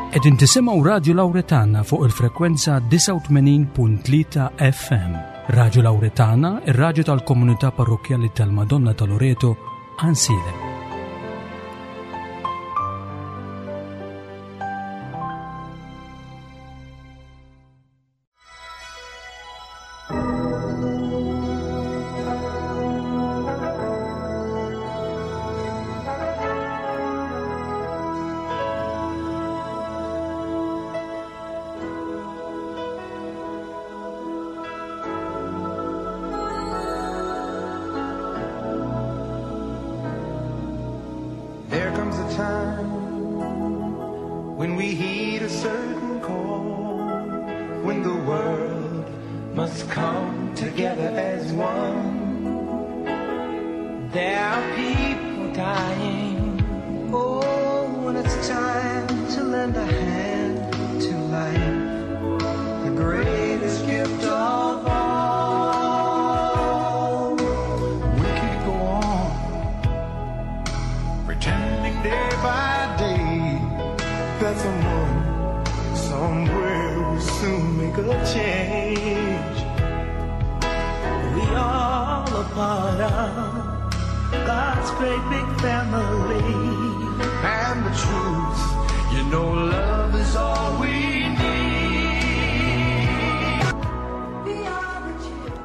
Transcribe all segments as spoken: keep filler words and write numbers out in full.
Qegħdin tisimgħu Radio Lauretana fuq il-frekwenza disgħa u tmenin punt tlieta F M. Radio Lauretana, ir-radju tal-Komunità Parrokkjali tal-Madonna ta' Loreto, Għajnsielem. There comes a time when we heed a certain call, when the world must come together as one. There are people dying. Oh, when it's time to lend a hand to life, the greatest gift of all. We can't go on pretending day by day that someone somewhere will soon make a change. We all are part of God's great big family. And the truth, you know, love is all we need.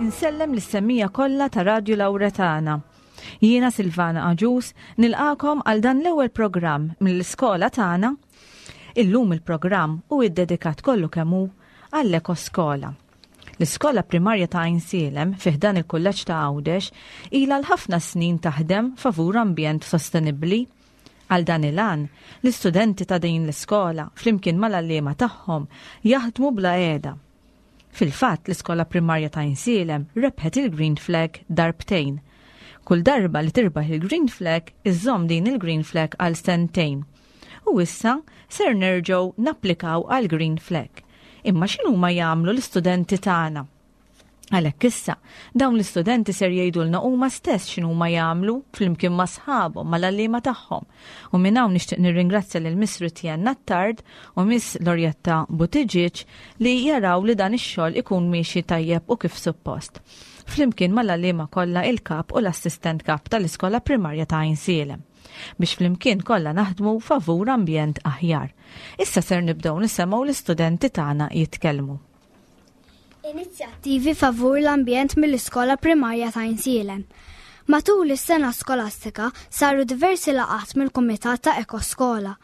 Insellem lis-semmiegħa kollha ta' Radio Lauretana. Jiena Silvana Aġus nilqagħkom għal dan l-ewwel programm mill-iskola tagħna. Illum il-programm hu iddedikat kollu kemm hu għall-ekoskola. L-iskola primarja ta' Għajnsielem fi ħdan il-kulleġġ ta' Għawdex ilha l-ħafna snin taħdem favur ambjent sostenibbli. Għal dan il-għan, l-istudenti ta' din l-iskola flimkien mal-għalliema tagħhom jaħdmu bla heda. Fil-fatt, l-iskola primarja ta' Għajnsielem rebħet il-Green Flag darbtejn. Kull darba li tirbaħ il-Green Flag, iżżomm din il-Green Flag għal sentejn. U issa ser nerġgħu napplikaw għal Green Flag. Imma x'inhuma jagħmlu l-istudenti tagħna? Għalhekk issa, dawn l-istudenti ser jgħidulna huma stess x'inhuma jagħmlu flimkien ma' sħabhom mal-għalliema tagħhom. U minn hawn nixtieq nirringrazzja lil Miss Rutjen Attard u Miss Lorjetta Buttigieg li jaraw li dan ix-xogħol ikun miexi tajjeb u kif suppost. Flimkien mal-għalliema kollha, il-kap u l-assistent kap tal-iskola primarja ta' Għajnsielem, biex flimkien kollha naħdmu favur ambjent aħjar. Issa ser nibdew nisimgħu l-istudenti tagħna jitkellmu. Inizjattivi favur l-ambjent mill-iskola primarja ta' Għajnsielem. Matul is-sena skolastika saru diversi laqat mill-Kumitat ta' Ekoskola.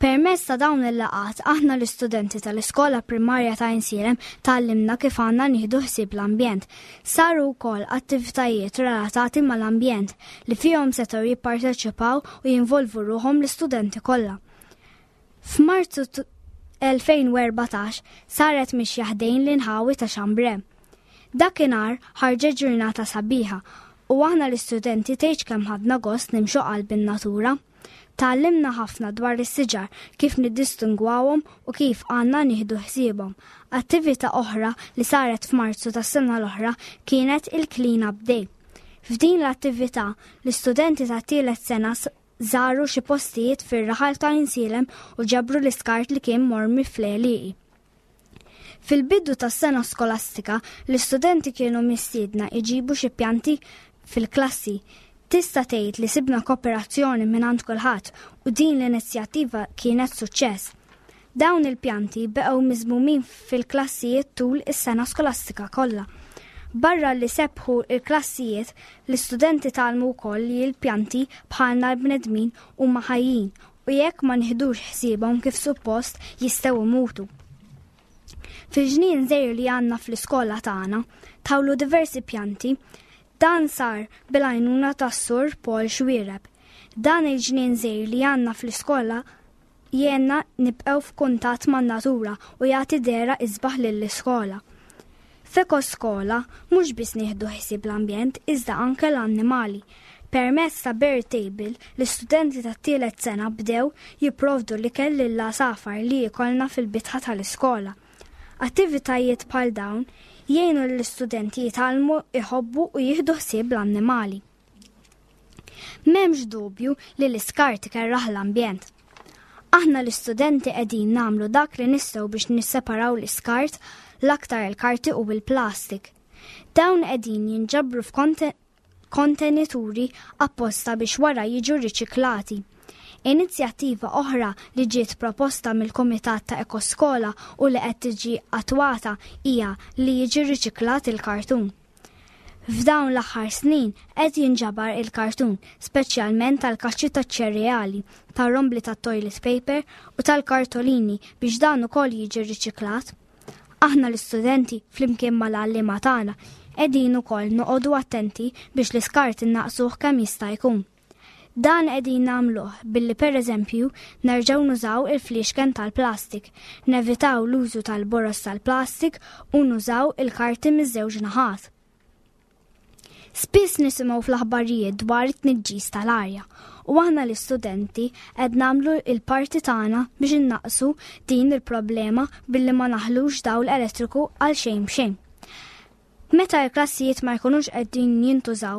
Permezz ta' dawn il-laqat aħna l-istudenti tal-iskola primarja ta' Għajnsielem tgħallimna kif għandna nieħdu ħsieb l-ambjent. Saru wkoll attivitajiet relatati mal-ambjent li fihom setgħu jipparteċipaw u jinvolvu ruħhom l-istudenti kollha. F'Marzu elfejn u erbatax saret mixja ħdejn l-inħawi ta' Xambre. Dakinhar ħarġet ġurnata sabiħa u aħna l-istudenti tgħidx kemm ħadna gost nimxu qalb in-natura. Tgħallimna ħafna dwar is-siġar, kif niddistingwawhom u kif għandna nieħdu ħsiebhom. Attività oħra li saret f'Marzu tas-sena l-oħra kienet il-Clean Up Day. F'din l-attività l-istudenti ta' tielet sena żaru xi postijiet fir-raħal ta' Għajnsielem u ġabru l-iskart li kien mormi fl-għelieqi. Fil-bidu tas-sena skolastika, l-istudenti kienu mistiedna iġibu xi pjanti fil-klassi. Tista' tgħid li sibna kooperazzjoni minn kulħadd u din l-inizjattiva kienet suċċess. Dawn il-pjanti beqgħu miżmumin fil-klassijiet tul is-sena skolastika kollha. Barra li sebħu il-klassijiet, l-istudenti tgħallmu wkoll li l-pjanti bħalna l-bnedmin huma ħajjin u jekk ma nieħdux ħsiebhom kif suppost jistgħu imutu. Fil-ġnien żgħir li għandna fl-iskola tagħna tħawlu diversi pjanti. Dan sar bil-għajnuna tas-Sur Paul Xuereb. Dan il-ġnien żgħir li għandna fl-iskola jgħinna nibqgħu f'kuntatt man-natura u jagħti dehra isbaħ lill-iskola. F'Ekoskola mhux biss nieħdu ħsieb l-ambjent, iżda anke l-annimali. Permezz ta' bird table, l-istudenti tat-tielet sena bdew jipprovdu l-ikel lill-għasafar li jkollna fil-bitħa tal-iskola. Attivitajiet bħal dawn jgħinu l-istudenti jitgħallmu iħobbu u jieħdu ħsieb l-annimali. M'hemmx dubju li l-iskart ikerraħ l-ambjent. Aħna l-istudenti qegħdin nagħmlu dak li nistgħu biex nisseparaw l-iskart, l-aktar il-karti u bil-plastik. Dawn qegħdin jinġabru f'kontenituri apposta biex wara jiġu riċiklati. Inizjattiva oħra li ġiet proposta mill-Kumitat ta' Ekoskola u li qed tiġi attwata hija li jiġi riċiklat il-kartun. F'dawn l-aħħar snin qed jinġabar il-kartun, speċjalment tal-kaxxi taċ-ċereali, tar-rombli tat-toilet paper u tal-kartolini biex dan ukoll jiġi riċiklat. Aħna l-istudenti flimkien mal-għalliema tagħna qegħdin ukoll noqogħdu attenti biex l-iskart innaqsuh kemm jista' jkun. Dan qegħdin nagħmluh billi pereżempju nerġgħu nużaw il-fliexken tal-plastik, nevitaw l-użu tal-boros tal-plastik u nużaw il-karti miż-żewġ naħat. Spiss nisimgħu fl-aħbarijiet dwar it-tniġġis tal-arja u aħna l-istudenti qed nagħmlu il-parti tagħna biex innaqsu din il-problema billi ma naħlux dawl elettriku għal xejn b'xejn. Meta l-klassijiet ma jkunux qegħdin jintużaw,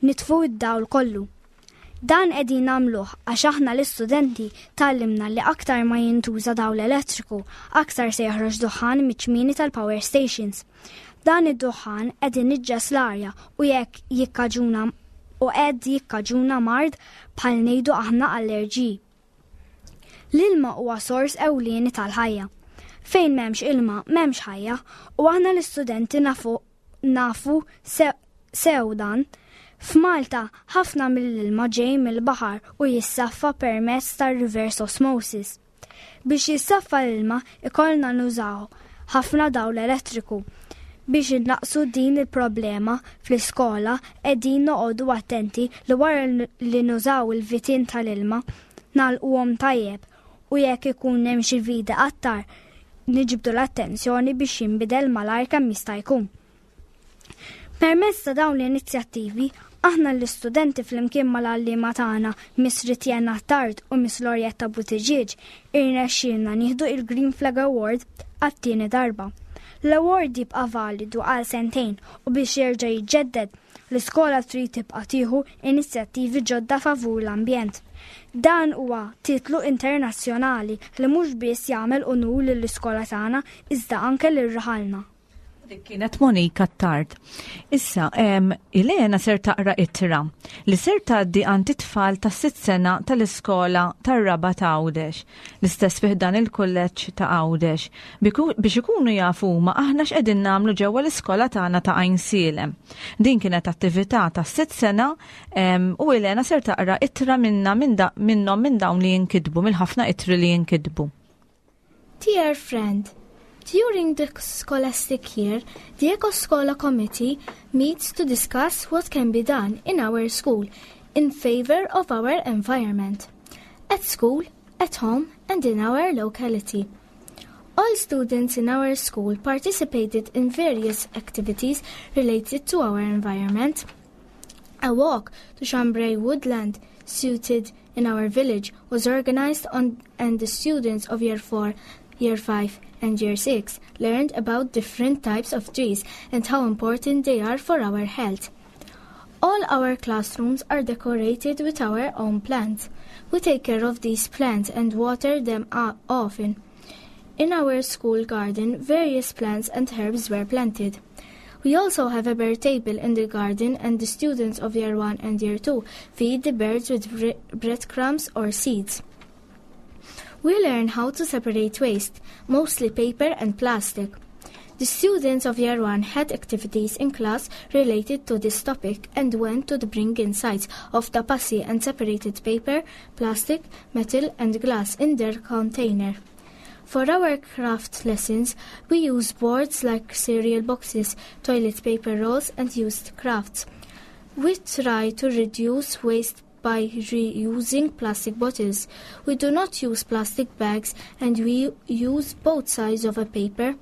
nitfu id-dawl kollu. Dan qegħdin nagħmluh għax aħna l-istudenti tgħallimna li aktar ma jintuża dawl elettriku, aktar se joħroġ duħan miċ-ċmieni tal-power stations. Dan id-duħan qed iniġġes l-arja u jekk jikkaġuna u qed jikkaġuna mard bħal ngħidu aħna allerġiji. L-ilma huwa sors ewlieni tal-ħajja. Fejn m'hemmx ilma, m'hemmx ħajja u aħna l-istudenti nafu nafu sew dan. F'Malta ħafna mill-ilma ġej mill-baħar u jissaffa permezz tar-reverse osmosis. Biex jissaffa l-ilma ikollna nużaw ħafna dawl elettriku. Biex innaqsu din il-problema fl-iskola qegħdin noqogħdu attenti li wara li nużaw il-vitin tal-ilma nagħlquhom tajjeb u jekk ikun hemm xi vit iqattar niġbdu l-attenzjoni biex jinbidel malajr kemm jista' jkun. Permezz ta' dawn l-inizjattivi, aħna l-istudenti flimkien mal-għalliema tagħna Miss Ritjena Tard u Miss Lorietta Buttigieg irnexxielna nieħdu il-Green Flag Award għat-tieni darba. L-award jibqa' validu għal sentejn u biex jerġa' jiġġedded l-iskola trid tibqa' tieħu inizjattivi ġodda favur l-ambjent. Dan huwa titlu internazzjonali li mhux biss jagħmel unur lill-iskola tagħna iżda anke lil raħalna. Dik kienet Monika Tard. Issa, em, Ilena ser taqra ittra li ser tgħaddi għand it-tfal ta' sitt sena tal-iskola tar-Rabat ta' Għawdex, l-istess fi ħdan il-kulleġġ ta' Għawdex, biex ikunu jafu ma aħna x'qegħdin nagħmlu ġewwa l-iskola tagħna ta' Għajnsielem. Din kienet attività ta' sitt sena em, u Ilena ser taqra ittra minna minn minnhom minn dawn li jinkitbu, mill-ħafna ittri li jinkitbu. Dear friend, during the scholastic year, the Eco-Schola Committee meets to discuss what can be done in our school in favor of our environment, at school, at home, and in our locality. All students in our school participated in various activities related to our environment. A walk to Chambray Woodland, situated in our village, was organized on, and the students of Year four, Year five, and Year six learned about different types of trees and how important they are for our health. All our classrooms are decorated with our own plants. We take care of these plants and water them often. In our school garden, various plants and herbs were planted. We also have a bird table in the garden, and the students of Year one and Year two feed the birds with bre- breadcrumbs or seeds. We learn how to separate waste, mostly paper and plastic. The students of Year one had activities in class related to this topic and went to the bring insights of Tapassi and separated paper, plastic, metal and glass in their container. For our craft lessons, we use boards like cereal boxes, toilet paper rolls and used crafts. We try to reduce waste by reusing plastic bottles. We do not use plastic bags and we use both sides of a paper.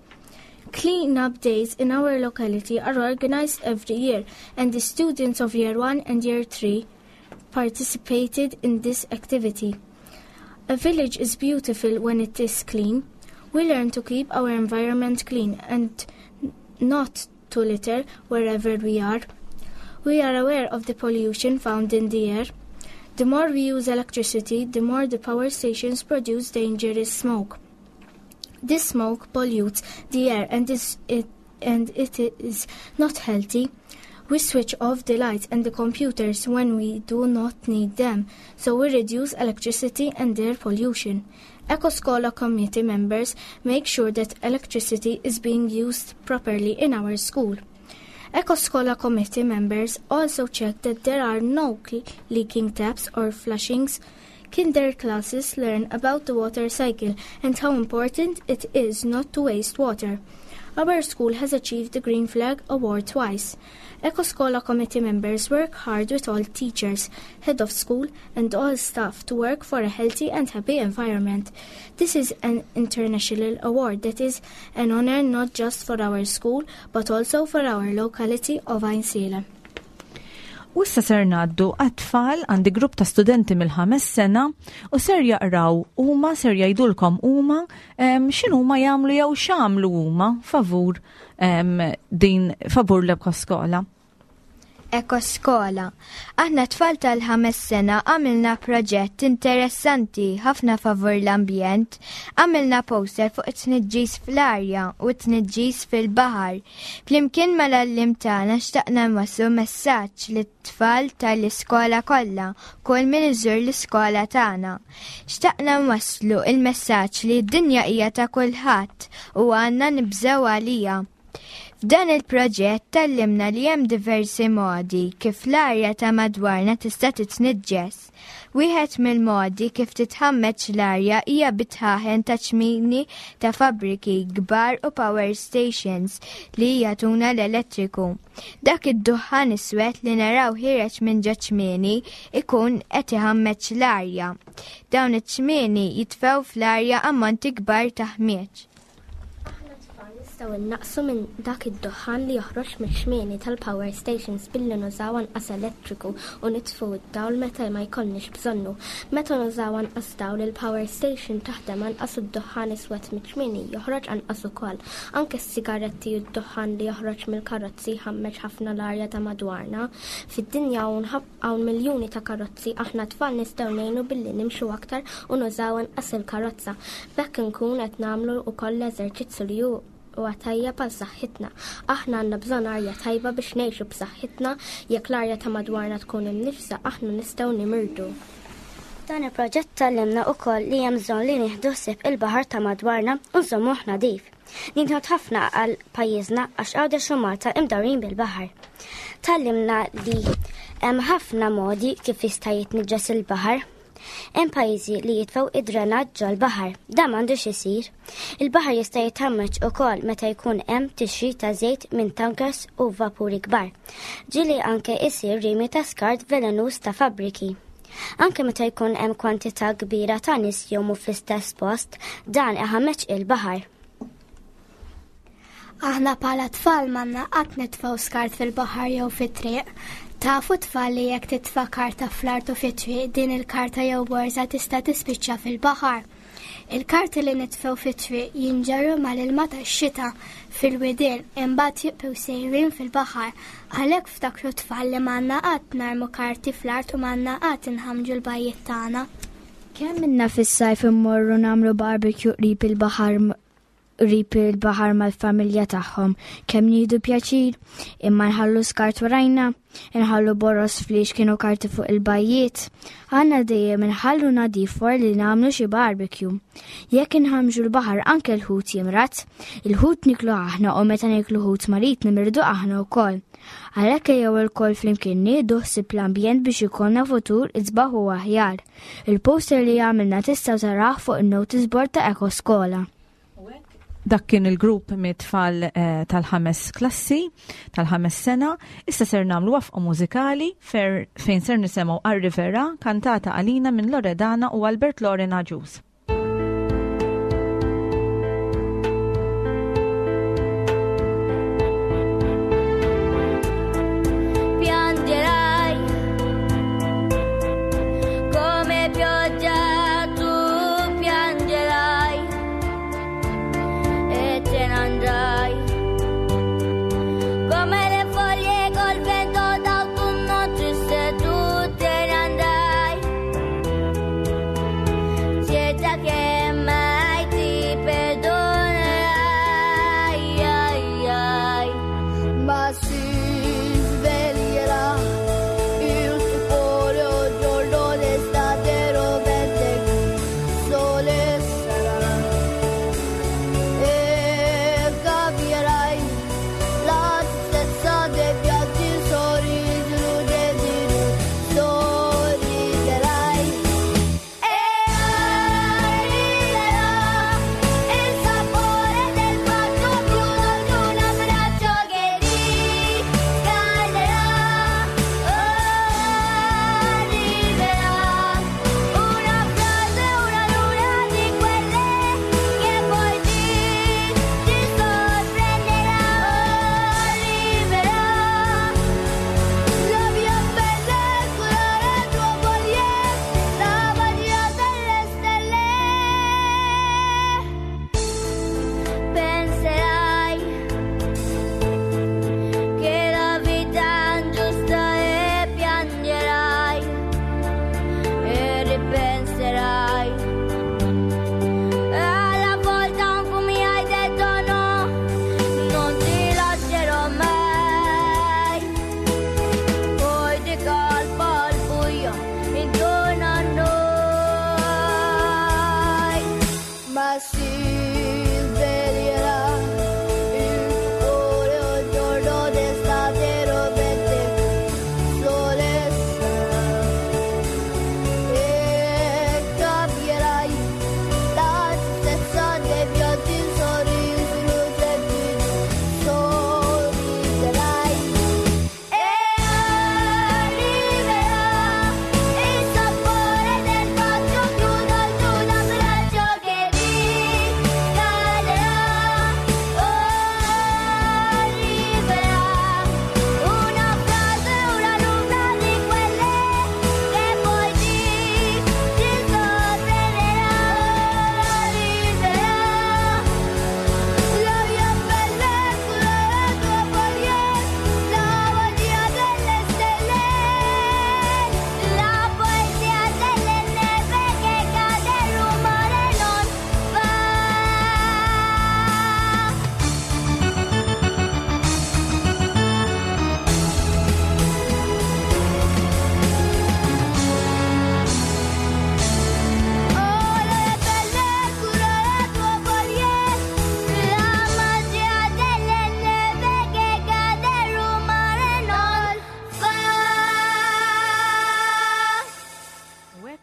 Clean-up days in our locality are organized every year, and the students of Year one and Year three participated in this activity. A village is beautiful when it is clean. We learn to keep our environment clean and not to litter wherever we are. We are aware of the pollution found in the air. The more we use electricity, the more the power stations produce dangerous smoke. This smoke pollutes the air and, is, it, and it is not healthy. We switch off the lights and the computers when we do not need them, so we reduce electricity and air pollution. EcoScola committee members make sure that electricity is being used properly in our school. EcoScola committee members also check that there are no leaking taps or flushings. Kinder classes learn about the water cycle and how important it is not to waste water. Our school has achieved the Green Flag Award twice. EcoScola committee members work hard with all teachers, head of school and all staff to work for a healthy and happy environment. This is an international award that is an honor not just for our school but also for our locality of Għajnsielem. U issa ser ngħaddu għat-tfal, għandi grupp ta' studenti mill-ħames sena u ser jaqraw huma, ser jgħidulkom huma x'inhuma jagħmlu jew x'għamlu huma favur din favur l-Ekoskola. Ekoskola. Aħna tfal tal-ħames sena għamilna proġett interessanti ħafna favur l-ambjent. Għamilna poster fuq it-tniġġis fl-arja u t-tniġġis fil-baħar. Flimkien mal-għalliem tagħna xtaqna nwasslu messaġġ lit-tfal tal-iskola kollha, kull min iżur l-iskola tagħna. Xtaqna nwasslu il-messaġġ li d-dinja hija ta' kulħadd u għandna nibżgħu għalija. F'dan il-proġett tgħallimna li hemm diversi modi kif l-arja ta' madwarna tista' titniġġes. Wieħed mill-modi kif titħammeġ l-arja hija bit-dħaħen ta' ċmini ta' fabbriki kbar u power stations li jagħtuna l-elettriku. Dak id-duħħan iswed li naraw ħiereġ minn ġo ċmieni ikun qed iħammeġ l-arja. Dawn iċ-ċmieni jitfgħu fl-arja ammonti kbar ta' ħmieġ. Nistgħu innaqsu minn dak id-duħħan li joħroġ mix-xmieni tal-power stations billi nużaw anqas elettriku u nitfu d-dawl meta ma jkollniex bżonnu. Meta nużaw anqas dawl, il-power station taħdem anqas u d-duħħan iswed mix-xmieni joħroġ anqas ukoll. Anke s-sigaretti u d-duħħan li joħroġ mill-karozzi jħammeġ ħafna l-arja ta' madwarna. Fid-dinja hawn miljuni ta' karozzi, aħna tfal nistgħu ngħinu billi nimxu aktar u nużaw anqas il-karozza. B'hekk inkun qed nagħmlu wkoll l-eżerċizzju li hu huwa tajjeb għal saħħitna. Aħna għandna bżonn arja tajba biex ngħixu b'saħħitna. Jekk l-arja ta' madwarna tkun imniġġsa, aħna nistgħu nimirdu. Dan il-proġett tgħallimna wkoll li hemm bżonn li nieħdu ħsieb il-baħar ta' madwarna u nżommuh nadif. Ninħod ħafna għal pajjiżna għax Għawdex u Malta imdawrin bil-baħar. Tgħallimna li hemm ħafna modi kif jista' jitniġġes il-baħar. Hemm pajjiżi li jitfgħu id-drenaġġ ġol-baħar, dan m'għandux isir. Il-baħar jista' jitħammeġ ukoll meta jkun hemm tixrid ta' żejt minn tankers u vapuri kbar. Ġieli anke isir rimi ta' skart velenuż ta' fabbriki. Anke meta jkun hemm kwantità kbira ta' nies jgħumu fl-istess post, dan iħammeġ il-baħar. Aħna bħala tfal m'għandna qatt nitfgħu skart fil-baħar jew fit-triq. Tafu tfal li jekk titfa' karta fl-art u fit-triq, din il-karta jew borża tista' tispiċċa fil-baħar. Il-karti li nitfgħu fit-triq jinġarru mal-ilma tax-xita fil-widien, imbagħad jibqgħu sejrin fil-baħar. Għalhekk ftakru tfal li m'għandna qatt narmu karti fl-art u m'għandna qatt inħamġu l-bajjiet tagħna. Kemm minna fis-sajf immorru nagħmlu barbecue qrib il-baħar qrib il-baħar mal-familja tagħhom, kemm nieħdu pjaċir, imma nħallu skart warajna, nħallu boroż, fliexken u karti fuq il-bajjiet. Għandna dejjem nħallu nadif wara li nagħmlu xi barbecue. Jekk inħamġu l-baħar anke l-ħut jimrad, il-ħut niklu aħna u meta niklu ħut marid nimirdu aħna wkoll. Għalhekk ejjew ilkoll flimkien nieħdu ħsieb l-ambjent biex ikollna futur isbaħ u aħjar. Il-poster li għamilna tistgħu taraw fuq il-notice board ta' Eko Skola. Dak kien il-grupp mit-tfal eh, tal-ħames klassi, tal-ħames sena. Issa ser nagħmlu waqfa mużikali fer, fejn ser nisimgħu Arrivera, kantata għalina minn Loredana u Albert Loren Agius. Piangerai come pioggia, tu piangerai e te ne andrai come le foglie col vento d'autunno triste, tu te ne andrai.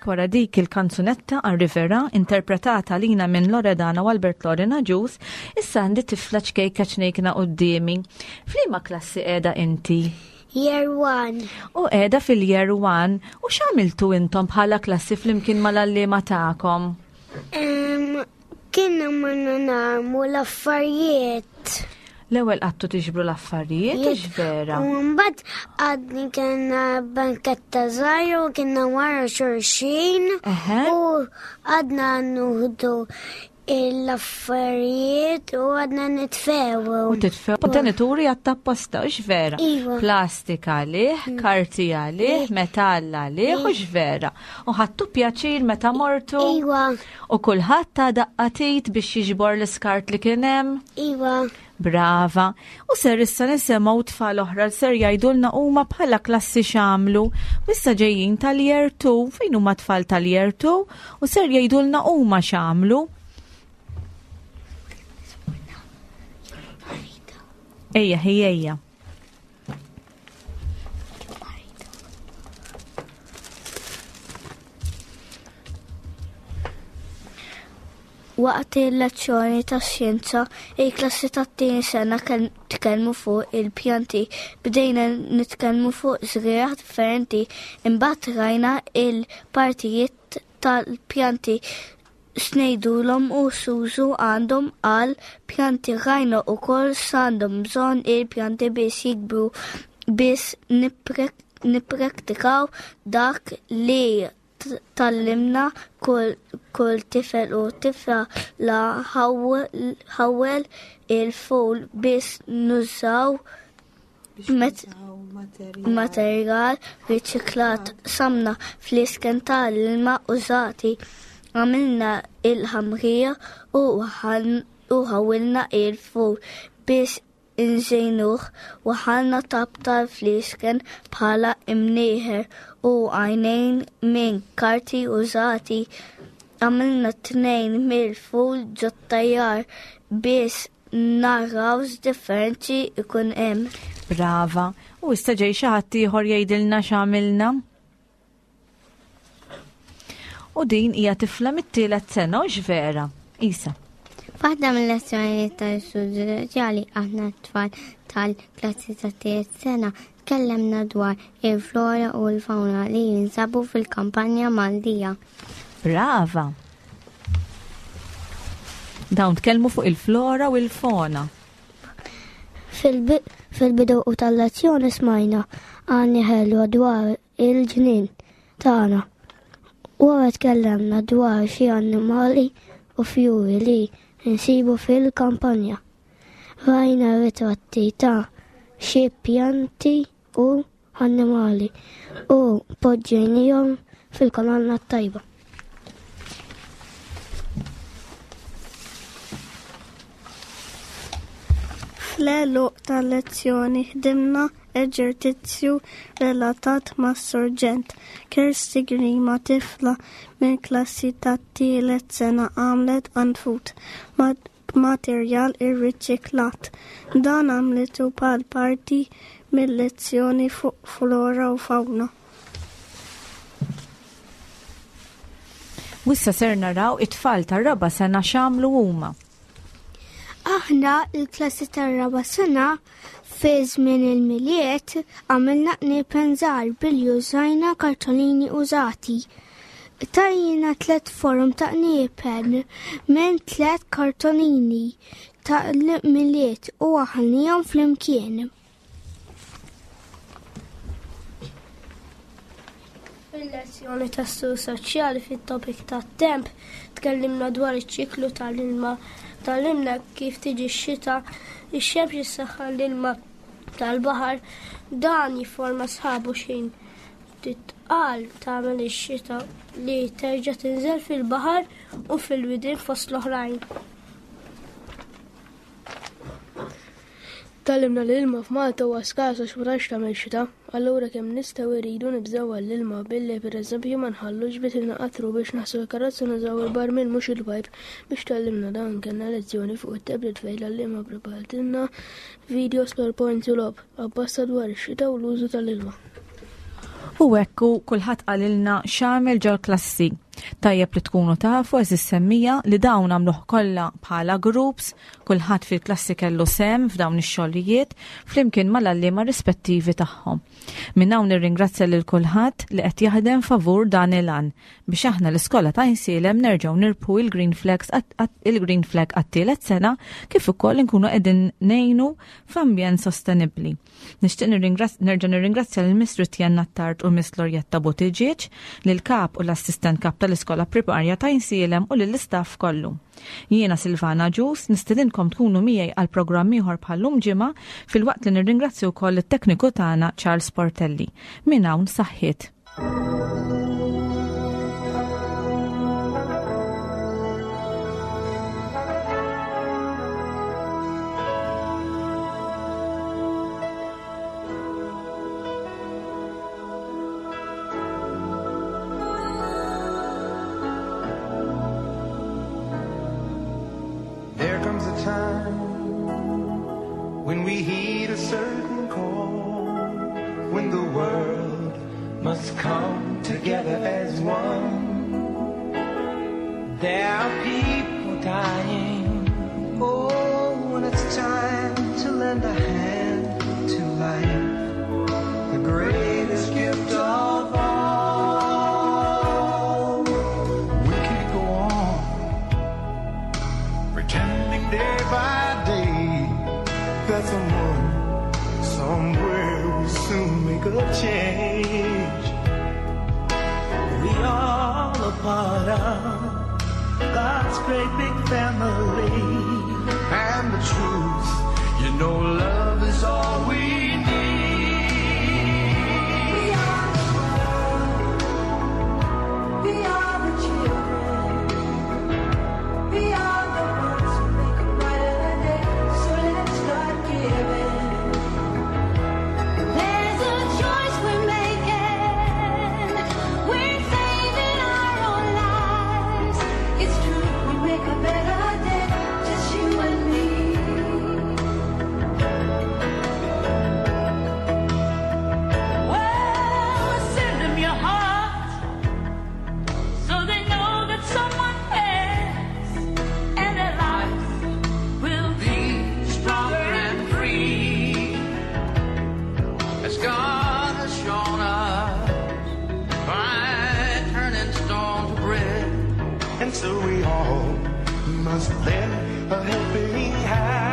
Wara dik il-kanzunetta Arrivera interpretata lina minn Loredana u Albert Lorena Ġus, issa għandi tifla ċkejka ċnejkna quddiemi. F'liema klassi qiegħda inti? Year one. U qiegħda fil-year one. U x'għamiltu intom bħala klassi flimkien mal-għalliema tagħkom? Um, Kienna morna narmu l-affarijiet. L-ewwel qattu tiġbru l-affarijiet, hux vera? U mbagħad għadni kellna banketta żgħira u kienna wara xulxin u għadna nuħdu l-affarijiet u għadna nitfew. U titfew. Kontenituri għat-tapposta, hux vera? Iva. Plastika għalih, karti għalih, metall għalih, hux vera? U ħadtu pjaċir meta mortu? Iva. U kulħadd ta' daqqatit biex jiġbor l-iskart li kien hemm? Iva. Brava. U ser issa nisimgħu tfal oħra li ser jgħidulna huma bħala klassi x'għamlu. U issa ġejjin tal-year two, fejn huma tfal tal-year two, u ser jgħidulna huma x'għamlu. Ejja, ejja, ejja. Waqt il-lezzjoni ta' xjenza, il-klassi tat-tieni sena tkellmu fuq il-pjanti. Bdejna nitkellmu fuq żrieragħ differenti, imbagħad rajna il-partijiet tal-pjanti x'ngħidulhom u x'użu għandhom għal pjanti. Rajna wkoll x'għandhom bżonn il-pjanti biex jikbru, biex nippraktikaw dak li tgħallimna kull, kull tifel u tifla la ħawwel il-ful biex nużaw materjal riċiklat. Samna fl-isken tal-ilma użati, għamilna il-ħamrija u ħawilna il-ful biex inżejnuh, waħalna tab tal-flisken bħala imnieħer u għajnejn minn karti użati. Għamilna tnejn mill-ful ġot-tajjar biex naraw x'differenzi ikun hemm. Brava. U issa ġej xi ħadd ieħor jgħidilna x'għamilna? U din hija tifla mit-tielet sena, hux vera? Isa. Waħda mill-lezzjonijiet tal-istudju soċjali aħna t-tfal tal-klassi tat-tielet sena tkellemna dwar il-flora u l-fauna li jinsabu fil-kampanja Maltija. Brava! Dawn tkellmu fuq il-flora u l-fauna. Fil-bidu u tal-lezzjoni smajna għani ħelwa dwar il-ġnien tagħna. Wara tkellemna dwar xi annimali u fjuri li nsibu fil-kampanja. Rajna ritratti ta' xi pjanti u annimali u poġġejnihom fil-kolonna tajba. Fl-għeluq tal-lezzjoni ħdimna eġertizzju relatat mas-sorġent. Kirsty Grima, tifla minn klassi tat-tielet sena, għamlet għanfut b'materjal irriċiklat. Dan għamlitu bħal parti mill-lezzjoni fuq flora u fauna. U issa ser naraw it-tfal tar-raba' sena x'għamlu huma. Aħna l-klassi tar-raba' sena fi żmien il-Milied għamilna qniepen żgħar billi użajna kartolini użati. Tajjina tliet forom ta' qniepen minn tliet kartolini ta' Milied u waħħalnihom flimkien. Fil-lezzjoni tas-sul soċjali fit-topik tat-temp tkellimna dwar iċ-ċiklu tal-ilma. Tgħallimna kif tiġi x-xita, ix-xemx issaħħan l-ilma tal-baħar, dan jifforma sħabu xejn titqal tagħmel ix-xita li terġa' tinżel fil-baħar u fil-widien fost l-oħrajn. Tgħallimna li l-ilma f'Malta huwa skars għax ma tantx tagħmel xita, allura kemm nistgħu rridu nibżgħu għall-ilma billi pereżempju ma nħallux biex inqatru biex naħsu l-karozza nużaw il-barmil mhux il-pajp. Biex tgħallimna dan kellna lezzjoni fuq it-tablet fejn l-għalliema prepartilna videos PowerPoint u logħob apposta dwar ix-xita u l-użu tal-ilma. U hekk kulħadd qalilna x'għamel ġol-klassi. Tajjeb li tkunu tafu għeżież semmiegħa li dawn għamluh kollha bħala groups, kulħadd fil-klassi kellu sem f'dawn ix-xogħlijiet flimkien mal-għalliema rispettivi tagħhom. Minn hawn nirringrazzja lil kulħadd li qed jaħdem favur dan il-għan biex aħna l-iskola ta' Għajnsielem nerġgħu nirbħu il-Green Flags il-Green Flag għat-tielet sena kif ukoll inkunu qegħdin ngħinu f'ambjent sostenibbli. Nixtieq nerġa' nirringrazzja lil Miss Rutjenna Attard u Miss Lorjetta Buttigieg, lil kap u l-assistent kap tal-Iskola Primarja ta' Għajnsielem u lill-istaff kollu. Jiena Silvana Ġus, nistedinkom tkunu miegħi għal programm ieħor bħallum ġimgħa filwaqt li nirringrazzju wkoll it-tekniku tagħna Charles Portelli. Minn hawn saħħiet. There comes a time when we heed a certain call, when the world must come together as one. There are people dying. Oh, when it's time to lend a hand to life, the greatest gift of all. We can't go on pretending day by day that someone somewhere will soon make a change. We all are part of God's great big family. And the truth, you know, love is all we need. We are the world. We are the children. We are the ones who make a brighter day. So let's start giving. There's a choice we're making. We're saving our own lives. It's true, we make a better day, just you and me. Well, send them your heart so they know that someone cares and their lives will be stronger and free. As God has shown us by turning stone to bread. And so we all must lend a helping hand.